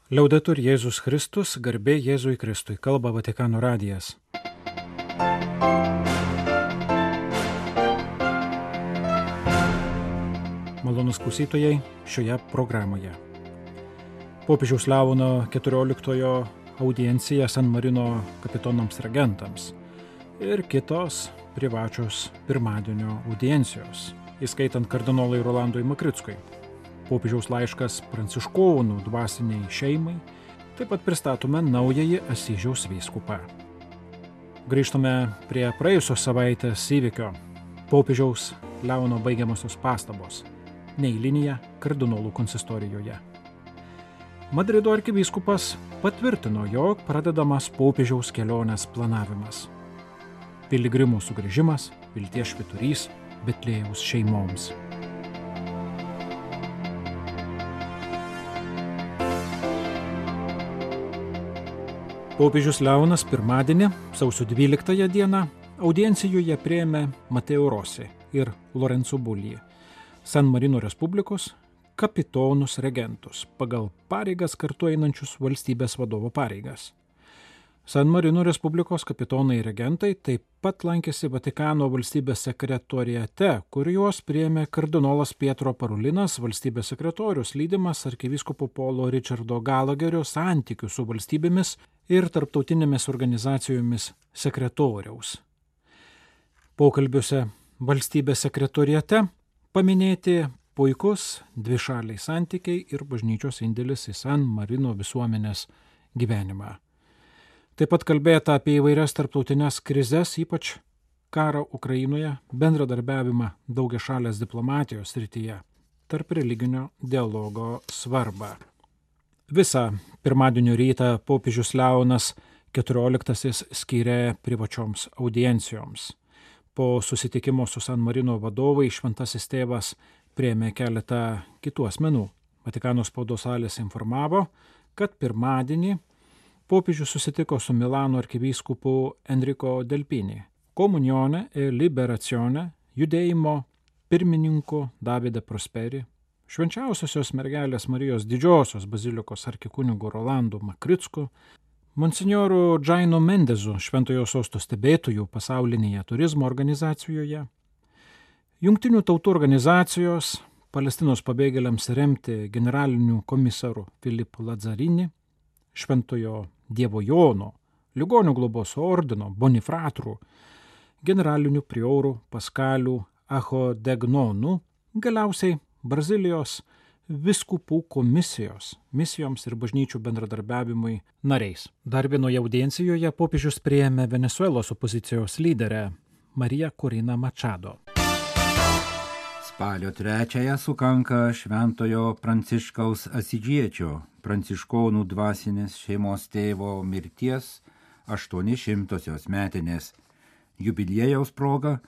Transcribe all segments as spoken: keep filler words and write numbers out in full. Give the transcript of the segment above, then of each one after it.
Liaudetur Jėzus Kristus, garbė Jėzui Kristui, kalba Vatikano radijas. Malonus klausytojai šioje programoje. Popiežiaus Leono keturioliktojo audiencija San Marino kapitonams regentams ir kitos privačios pirmadienio audiencijos, įskaitant kardinolui Rolandui Makrickui. Popiežiaus laiškas pranciškonų dvasiniai šeimai, taip pat pristatome naująjį Asyžiaus vyskupą. Grįžtame prie praėjusios savaitės įvykio popiežiaus Leono baigiamosios pastabos neeilinėje kardinolų konsistorijoje. Madrido arkivyskupas patvirtino, jog pradedamas popiežiaus kelionės planavimas. Piligrimų sugrįžimas, vilties švyturys Betliejaus šeimoms. Popiežius Leonas pirmadienį, sausio dvyliktąją dieną, audiencijoje priėmė Mateo Rossi ir Lorenzo Bulli, San Marino Respublikos kapitonus regentus, pagal pareigas kartu einančius valstybės vadovo pareigas. San Marino Respublikos kapitonai regentai taip pat lankėsi Vatikano valstybės sekretoriate, kur juos priėmė kardinolas Pietro Parulinas, valstybės sekretorius, lydimas arkivyskupo Polo Richardo Galagerio santykių su valstybėmis ir tarptautinėmis organizacijomis sekretoriaus. Pokalbiuose valstybės sekretoriate paminėti puikus dvišaliai santykiai ir bažnyčios indėlis į San Marino visuomenės gyvenimą. Taip pat kalbėta apie įvairias tarptautinės krizes, ypač karą Ukrainoje, bendradarbiavimą daugiašalės diplomatijos srityje, tarp religinio dialogo svarbą. Visą pirmadienio rytą popiežius Leonas keturioliktasis skyrė privačioms audiencijoms. Po susitikimo su San Marino vadovai šventasis tėvas priėmė keletą kitų asmenų. Vatikano spaudos salės informavo, kad pirmadienį popiežius susitiko su Milano arkivyskupu Enrico Delpini, Komunione e Liberazione judėjimo pirmininku Davide Prosperi, švenčiausiosios mergelės Marijos didžiosios bazilikos arkikunigu Rolandu Makricku, monsinjoru Džaino Mendezu, Šventojo sosto stebėtojų pasaulinėje turizmo organizacijoje, Jungtinių tautų organizacijos Palestinos pabėgėliams remti generaliniu komisaru Filipu Lazzarini, Šventojo Dievo Jono, Ligonių globos ordino Bonifratrų, generaliniu priorų Paskalių Achodegnonų, galiausiai Brazilijos vyskupų komisijos misijoms ir bažnyčių bendradarbiavimui nariais. Dar vienoje audiencijoje popiežius priėmė Venesuelos opozicijos lyderę Mariją Corina Machado. Spalio trečiąją sukanka Šventojo Pranciškaus Asidžiečio, pranciškonų dvasinės šeimos tėvo mirties aštuonišimtosios metinės. Jubiliejaus proga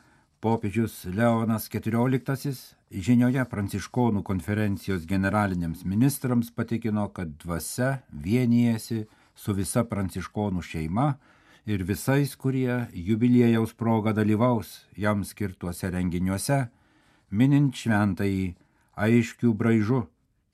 popiežius Leonas keturioliktasis žinioje pranciškonų konferencijos generaliniams ministrams patikino, kad dvasia vienijasi su visa pranciškonų šeima ir visais, kurie jubiliejaus proga dalyvaus jam skirtuose renginiuose, minint šventąjį aiškių braižų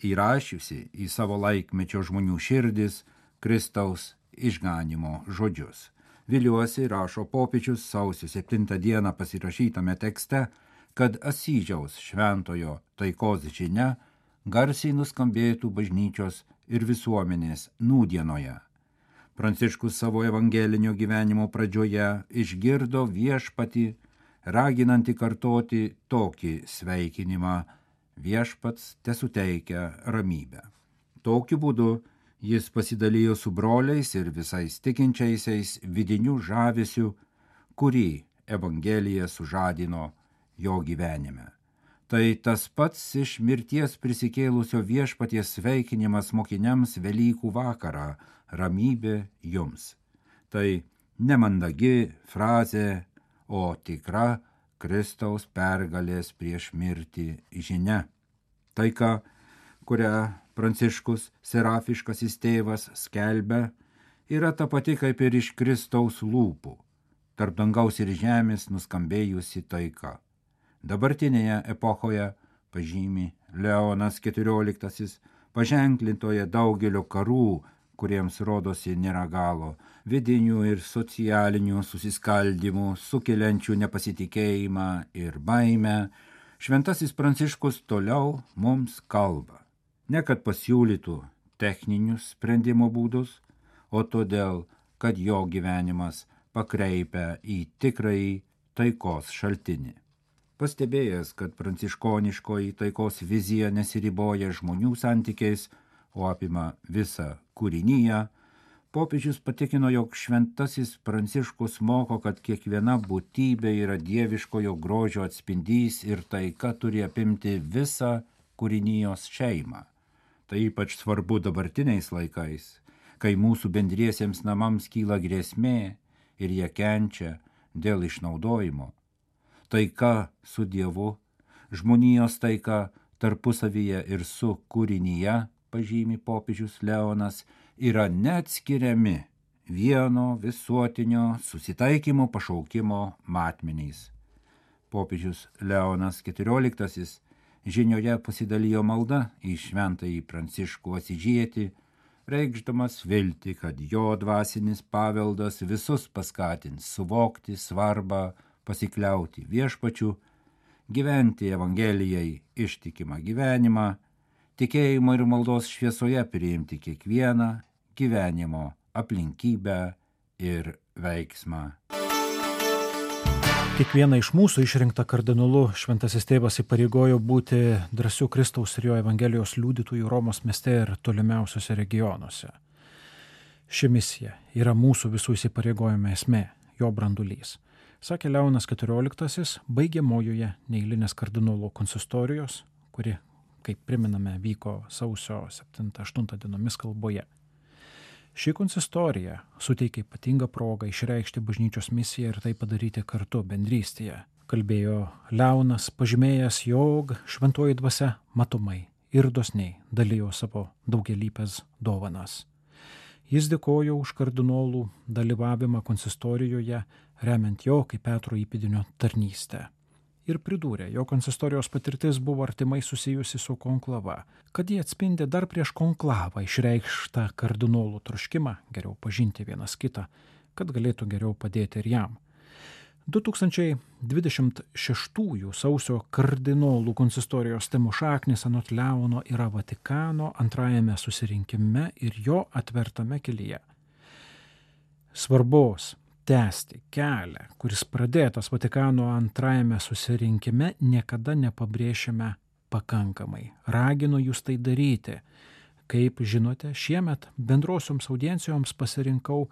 įrašiusi į savo laikmečio žmonių širdis Kristaus išganimo žodžius. Viliuosi, rašo popiežius sausio septintą dieną pasirašytame tekste, kad Asyžiaus šventojo taikos žinia garsiai nuskambėtų bažnyčios ir visuomenės nūdienoje. Pranciškus savo evangelinio gyvenimo pradžioje išgirdo viešpatį, raginantį kartoti tokį sveikinimą: viešpats tesuteikia ramybę. Tokiu būdu jis pasidalijo su broliais ir visais tikinčiaisiais vidiniu žavesiu, kurį Evangelija sužadino jo gyvenime. Tai tas pats iš mirties prisikėlusio viešpaties sveikinimas mokiniams Velykų vakarą: ramybė jums. Tai nemandagi frazė, o tikra Kristaus pergalės prieš mirtį žinia. Taika, kurią Pranciškus serafiškasis tėvas skelbia, yra ta pati kaip ir iš Kristaus lūpų, tarp dangaus ir žemės nuskambėjusi taika. Dabartinėje epochoje, pažymi Leonas keturioliktasis, paženklintoje daugelio karų, kuriems rodosi nėra galo, vidinių ir socialinių susiskaldimų, sukeliančių nepasitikėjimą ir baimę, šventasis Pranciškus toliau mums kalba. Ne kad pasiūlytų techninius sprendimo būdus, o todėl, kad jo gyvenimas pakreipia į tikrąjį taikos šaltinį. Pastebėjęs, kad pranciškoniškoji taikos vizija nesiriboja žmonių santykiais, o apima visą kūriniją, popiežius patikino, jog šventasis Pranciškus moko, kad kiekviena būtybė yra dieviškojo grožio atspindys ir taika turi apimti visą kūrinijos šeimą. Tai ypač svarbu dabartiniais laikais, kai mūsų bendriesiems namams kyla grėsmė ir jie kenčia dėl išnaudojimo. Taika su Dievu, žmonijos taika tarpusavyje ir su kūrinyje, pažymi popiežius Leonas, yra neatskiriami vieno visuotinio susitaikymo pašaukimo matmenys. Popiežius Leonas keturioliktasis žinioje pasidalijo malda į šventąjį Pranciškų Asyžietį, reikšdamas viltį, kad jo dvasinis paveldas visus paskatins suvokti svarbą pasikliauti viešpačiu, gyventi Evangelijai ištikimą gyvenimą, tikėjimo ir maldos šviesoje priimti kiekvieną gyvenimo aplinkybę ir veiksmą. Kiekvieną iš mūsų išrinktą kardinolu šventasis tėvas įpareigojo būti drąsių Kristaus ir jo Evangelijos liudytojų Romos mieste ir tolimiausiuose regionuose. Ši misija yra mūsų visų įsipareigojimo esmė, jo brandulys. Sakė Leonas keturioliktasis baigiamojoje neeilinės kardinolų konsistorijos, kuri, kaip priminame, vyko sausio septintą aštuntą dienomis kalboje. Ši konsistorija suteikia ypatingą progą išreikšti bažnyčios misiją ir tai padaryti kartu bendrystėje. Kalbėjo Leonas, pažymėjęs, jog šventoji dvasia matomai ir dosniai dalijo savo daugialypes dovanas. Jis dėkojo už kardinolų dalyvavimą konsistorijoje, remiant jo kaip Petro įpėdinio tarnystę. Ir pridūrė, jo konsistorijos patirtis buvo artimai susijusi su konklava, kad jie atspindi dar prieš konklavą išreikštą kardinolų troškimą geriau pažinti vienas kitą, kad galėtų geriau padėti ir jam. du tūkstančiai dvidešimt šeštųjų sausio kardinolų konsistorijos temų šaknis anot Leono yra Vatikano antrajame susirinkime ir jo atvertame kelyje. Svarbos tęsti kelią, kuris pradėtas Vatikano antrajame susirinkime, niekada nepabrėšime pakankamai. Raginu jūs tai daryti. Kaip žinote, šiemet bendrosioms audiencijoms pasirinkau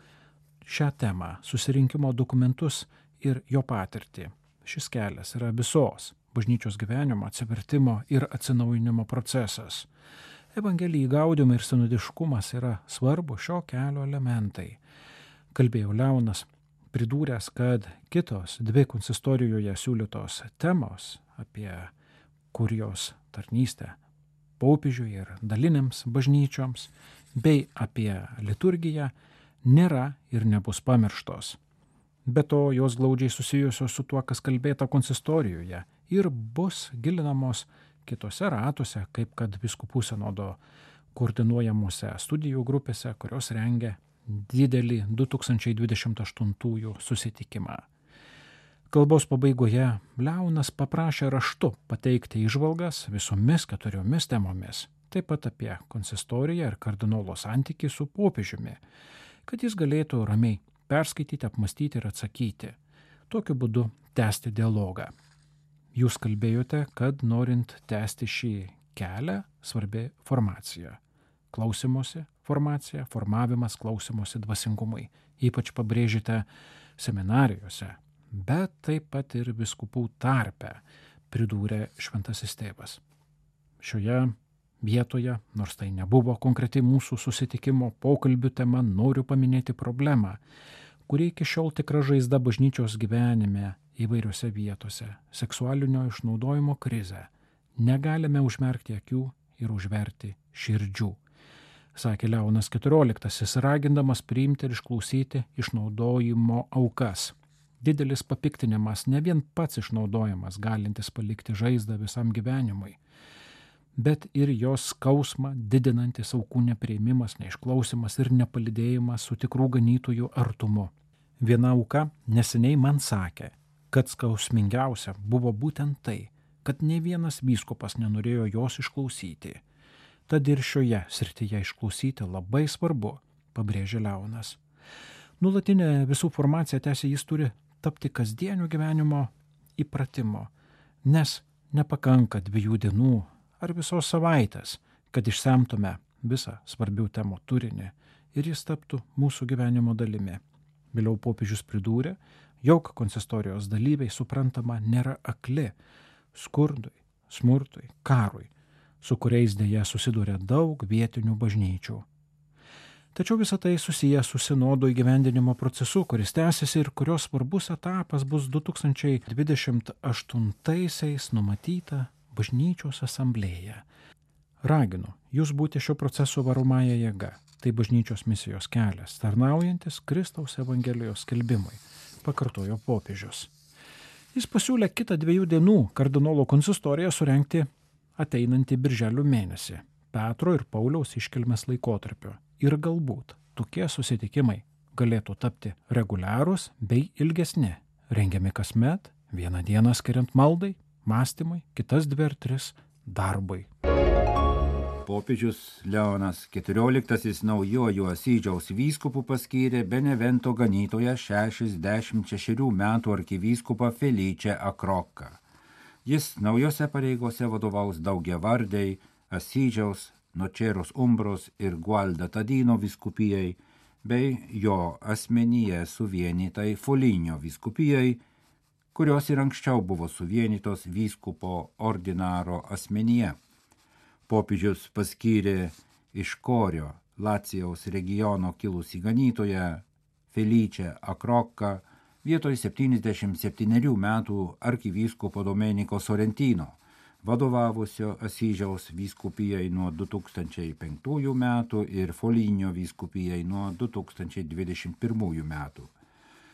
šią temą, susirinkimo dokumentus ir jo patirtį. Šis kelias yra visos bažnyčios gyvenimo, atsivertimo ir atsinaujinimo procesas. Evangelijai gaudymo ir sinodiškumas yra svarbu šio kelio elementai. Kalbėjo Leonas, pridūręs, kad kitos dvi konsistorijoje siūlytos temos apie kurijos tarnystę popiežiui ir dalinėms bažnyčioms bei apie liturgiją nėra ir nebus pamirštos. Be to, jos glaudžiai susijusios su tuo, kas kalbėta konsistorijoje ir bus gilinamos kitose ratuose, kaip kad vyskupų sinodo koordinuojamuose studijų grupėse, kurios rengia didelį du tūkstančiai dvidešimt aštuntųjų susitikimą. Kalbos pabaigoje Leonas paprašė raštu pateikti įžvalgas visomis keturiomis temomis, taip pat apie konsistoriją ir kardinolo santykį su popiežiumi, kad jis galėtų ramiai perskaityti, apmastyti ir atsakyti. Tokiu būdu tęsti dialogą. Jūs kalbėjote, kad norint tęsti šį kelią, svarbi formacija. Klausimosi formacija, formavimas klausimosi dvasingumui. Ypač pabrėžite seminarijose, bet taip pat ir vyskupų tarpe, pridūrė šventasis tėvas. Šioje vietoje, nors tai nebuvo konkreti mūsų susitikimo pokalbių tema, noriu paminėti problemą, kuri iki šiol tikra žaizda bažnyčios gyvenime įvairiose vietose - seksualinio išnaudojimo krizę. Negalime užmerkti akių ir užverti širdžių, sakė Leonas keturioliktasis, ragindamas priimti ir išklausyti išnaudojimo aukas. Didelis papiktinimas, ne vien pats išnaudojimas, galintis palikti žaizdą visam gyvenimui, bet ir jos skausmą didinantis aukų nepriėmimas, neišklausimas ir nepalydėjimas su tikrų ganytojų artumu. Viena auka neseniai man sakė, kad skausmingiausia buvo būtent tai, kad ne vienas vyskupas nenorėjo jos išklausyti. Tad ir šioje srityje išklausyti labai svarbu, pabrėžė Leonas. Nulatinė visų formacija, tęsė jis, turi tapti kasdienio gyvenimo įpratimo, nes nepakanka dviejų dienų ar visos savaitės, kad išsemtume visą svarbių temų turinį ir jis taptų mūsų gyvenimo dalimi. Vėliau popiežius pridūrė, jog konsistorijos dalyviai suprantama nėra akli skurdui, smurtui, karui, su kuriais dėja susiduria daug vietinių bažnyčių. Tačiau visą tai susiję su sinodo įgyvendinimo procesu, kuris tęsiasi ir kurios svarbus etapas bus du tūkstančiai dvidešimt aštuntaisiais numatyta bažnyčios asamblėje. Raginu jūs būti šio proceso varomąja jėga. Tai bažnyčios misijos kelias, tarnaujantis Kristaus Evangelijos skelbimui, pakartojo popiežius. Jis pasiūlė kitą dviejų dienų kardinolo konsistoriją surengti ateinantį birželio mėnesį, Petro ir Pauliaus iškilmės laikotarpio. Ir galbūt tokie susitikimai galėtų tapti reguliarūs bei ilgesni, rengiami kasmet, vieną dieną skiriant maldai, mąstymui, kitas dvi ar tris darbui. Popiežius Leonas keturioliktasis naujojo Asyžiaus vyskupu paskyrė Benevento ganytoją šešiasdešimt šešerių metų arkivyskupą Felice Acrocca. Jis naujose pareigose vadovaus daugiavardei Asyžiaus, Nočeros Umbros ir Gualda Tadino vyskupijai bei jo asmenyje suvienytai Foligno vyskupijai, kurios ir anksčiau buvo suvienytos vyskupo ordinaro asmenyje. Popiežius paskyrė iš Korio, Lacijaus regiono kilusį ganytoją Felice Acrocca vietoj septyniasdešimt septynerių metų arkivyskupo Domenico Sorrentino, vadovavusio Asyžiaus vyskupijai nuo du tūkstančiai penktųjų metų ir Foligno vyskupijai nuo du tūkstančiai dvidešimt pirmųjų metų.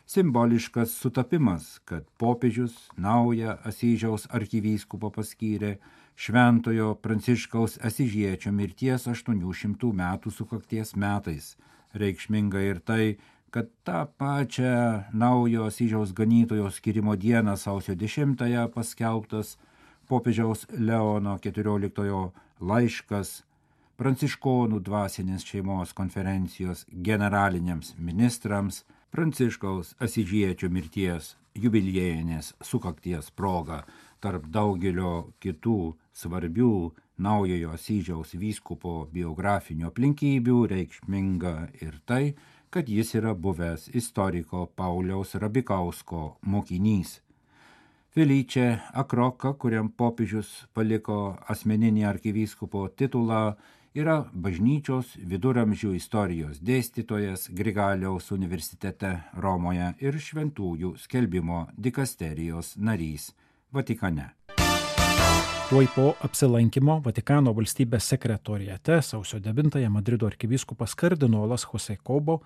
Simboliškas sutapimas, kad popiežius naują Asyžiaus arkivyskupą paskyrė Šventojo Pranciškaus Asyžiečio mirties aštuonių šimtų metų sukakties metais. Reikšminga ir tai, kad tą pačią naujo Asyžiaus ganytojo skyrimo dieną sausio dešimtąją paskelbtas popiežiaus Leono keturioliktojo laiškas pranciškonų dvasinės šeimos konferencijos generaliniams ministrams Pranciškaus Asyžiečio mirties jubiliejinės sukakties proga tarp daugelio kitų svarbių naujojo Asyžiaus vyskupo biografinių aplinkybių reikšminga ir tai, kad jis yra buvęs istoriko Pauliaus Rabikausko mokinys. Felice Acrocca, kuriam popiežius paliko asmeninį arkivyskupo titulą, yra bažnyčios viduramžių istorijos dėstytojas Grigaliaus universitete Romoje ir šventųjų skelbimo dikasterijos narys Vatikane. Tuoj po apsilankimo Vatikano valstybės sekretoriate sausio devintąją Madrido arkivyskupas kardinolas Jose Cobo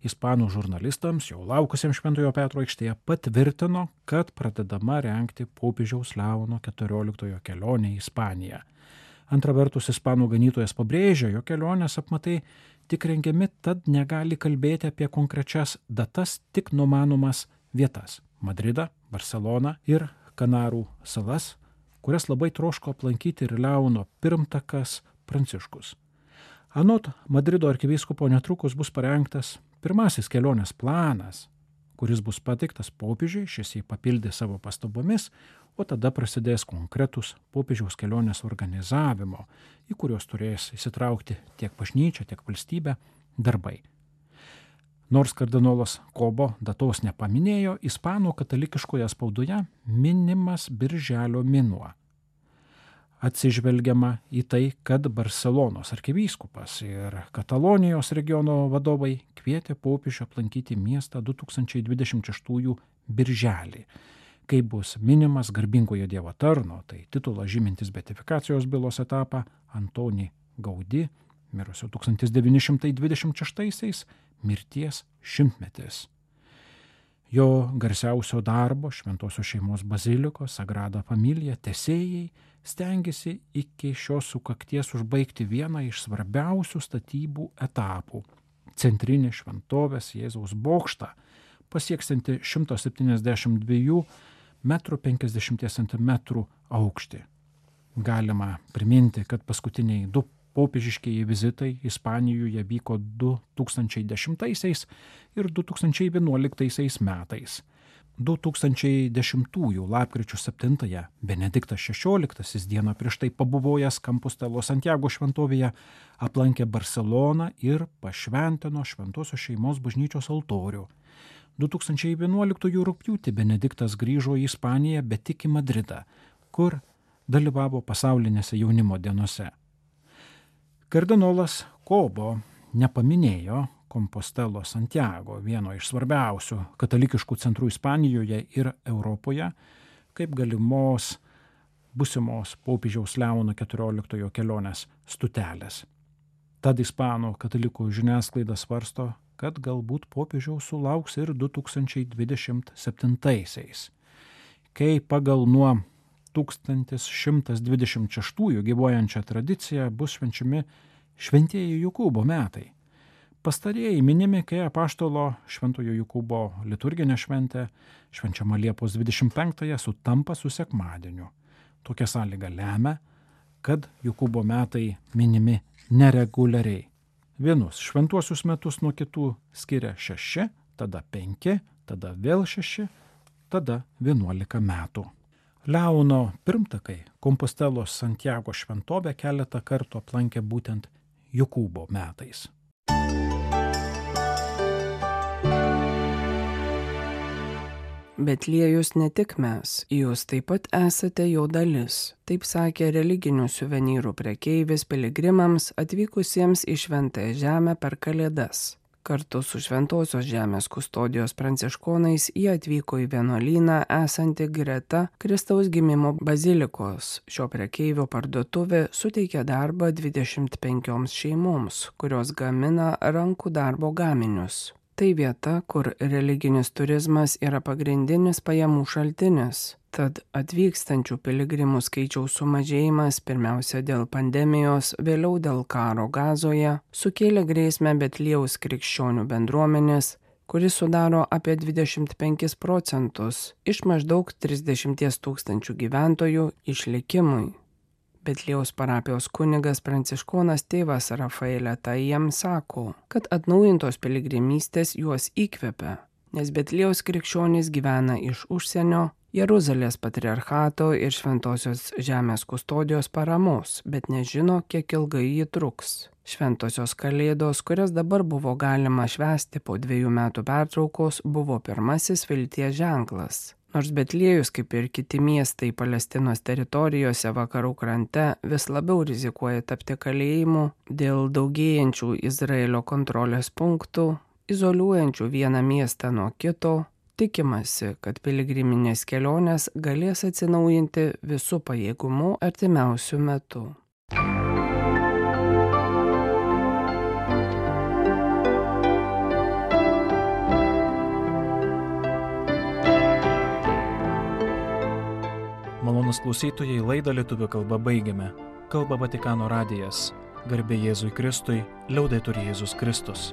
ispanų žurnalistams jau laukusiems Šventojo Petro aikštėje patvirtino, kad pradedama rengti popiežiaus Leono keturioliktojo kelionę į Ispaniją. Antra vertus, ispanų ganytojas pabrėžė, jo kelionės apmatai tik rengiami, tad negali kalbėti apie konkrečias datas, tik numanomas vietas – Madridą, Barceloną ir Kanarų salas, kurias labai troško aplankyti ir Leono pirmtakas Pranciškus. Anot Madrido arkivyskupo netrukus bus parengtas pirmasis kelionės planas, kuris bus pateiktas popiežiui, šis jį papildė savo pastabomis, o tada prasidės konkretus popiežiaus kelionės organizavimo, į kuriuos turės įsitraukti tiek bažnyčia, tiek valstybė darbai. Nors kardinolas Cobo datos nepaminėjo, ispanų katalikiškoje spaudoje minimas birželio mėnuo. Atsižvelgiama į tai, kad Barcelonos arkivyskupas ir Katalonijos regiono vadovai kvietė popiežių aplankyti miestą du tūkstančiai dvidešimt šeštųjų birželį, kai bus minimas garbingojo Dievo tarno, tai titulas žymintis beatifikacijos bylos etapą Antoni Gaudi, mirusio tūkstantis devyni šimtai dvidešimt šeštaisiais, mirties šimtmetis. Jo garsiausio darbo Šventosios šeimos bazilikos Sagrada Familia tęsėjai stengiasi iki šios sukakties užbaigti vieną iš svarbiausių statybų etapų – centrinį šventovės Jėzaus bokštą, pasieksianti šimtas septyniasdešimt dviejų metrų penkiasdešimt centimetrų aukštį. Galima priminti, kad paskutiniai du popiežiškieji vizitai Ispanijoje vyko du tūkstančiai dešimtaisiais ir du tūkstančiai vienuoliktaisiais metais. du tūkstančiai dešimtųjų lapkričio septintąją Benediktas šešioliktasis dieną prieš tai pabuvojęs Compostelo Santiago šventovėje aplankė Barseloną ir pašventino Šventosios šeimos bažnyčios altorių. du tūkstančiai vienuoliktųjų rugpjūtį Benediktas grįžo į Ispaniją, bet tik į Madridą, kur dalyvavo pasaulinėse jaunimo dienose. Kardinolas Kobo nepaminėjo Compostelo Santiago, vieno iš svarbiausių katalikiškų centrų Ispanijoje ir Europoje, kaip galimos būsimos popiežiaus Leono keturioliktojo kelionės stotelės. Tad ispanų katalikų žiniasklaida svarsto, kad galbūt popiežiaus sulauks ir du tūkstančiai dvidešimt septintaisiais, kai pagal nuo tūkstantis šimtas dvidešimt šeštųjų gyvuojančią tradiciją bus švenčiami šventieji Jokūbo metai. Pastarieji minimi, kai apaštalo Šventojo Jokūbo liturginė šventė švenčiama Liepos dvidešimt penktąją sutampa su sekmadieniu. Tokia sąlyga lemia, kad Jokūbo metai minimi nereguliariai. Vienus šventuosius metus nuo kitų skiria šeši, tada penki, tada vėl šeši, tada vienuolika metų. Leono pirmtakai Compostelo Santiago šventovę keletą kartų aplankė būtent Jokūbo metais. Betliejus ne tik mes, jūs taip pat esate jo dalis, taip sakė religinių suvenyrų prekeivis piligrimams atvykusiems į Šventąją žemę per Kalėdas. Kartu su Šventosios žemės kustodijos pranciškonais jie atvyko į vienuolyną esantį greta Kristaus gimimo bazilikos. Šio prekeivio parduotuvė suteikia darbą dvidešimt penkioms šeimoms, kurios gamina rankų darbo gaminius. Tai vieta, kur religinis turizmas yra pagrindinis pajamų šaltinis. Tad atvykstančių piligrimų skaičiaus sumažėjimas, pirmiausia dėl pandemijos, vėliau dėl karo Gazoje, sukėlė grėsmę Betliejaus krikščionių bendruomenės, kuris sudaro apie dvidešimt penkis procentus iš maždaug trisdešimt tūkstančių gyventojų išlikimui. Betliejaus parapijos kunigas pranciškonas tėvas Rafaelė Tajiem sako, kad atnaujintos piligrimystės juos įkvepia, nes Betliejaus krikščionys gyvena iš užsienio, Jeruzalės patriarchato ir Šventosios žemės kustodijos paramos, bet nežino, kiek ilgai ji truks. Šventosios Kalėdos, kurias dabar buvo galima švęsti po dviejų metų pertraukos, buvo pirmasis vilties ženklas. Nors Betliejus, kaip ir kiti miestai Palestinos teritorijose vakarų krante, vis labiau rizikuoja tapti kalėjimu dėl daugėjančių Izraelio kontrolės punktų, izoliuojančių vieną miestą nuo kito, tikimasi, kad piligriminės kelionės galės atsinaujinti visų pajėgumu artimiausių metų. Malonūs klausytojai, laidą lietuvių kalba baigiame. Kalba Vatikano radijas. Garbė Jėzui Kristui, liaudetur Jėzus Kristus.